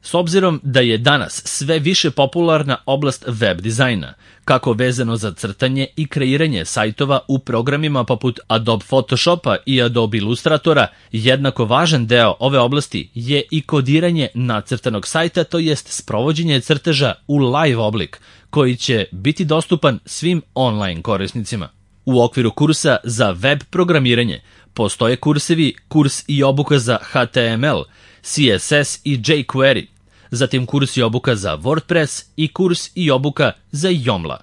S obzirom da je danas sve više popularna oblast web dizajna, kako vezano za crtanje i kreiranje sajtova u programima poput Adobe Photoshopa i Adobe Illustratora, jednako važan deo ove oblasti je i kodiranje nacrtanog sajta, to jest sprovođenje crteža u live oblik, koji će biti dostupan svim online korisnicima. U okviru kursa za web programiranje postoje kursevi, kurs i obuka za HTML, CSS i jQuery, zatim kurs i obuka za WordPress i kurs i obuka za Joomla.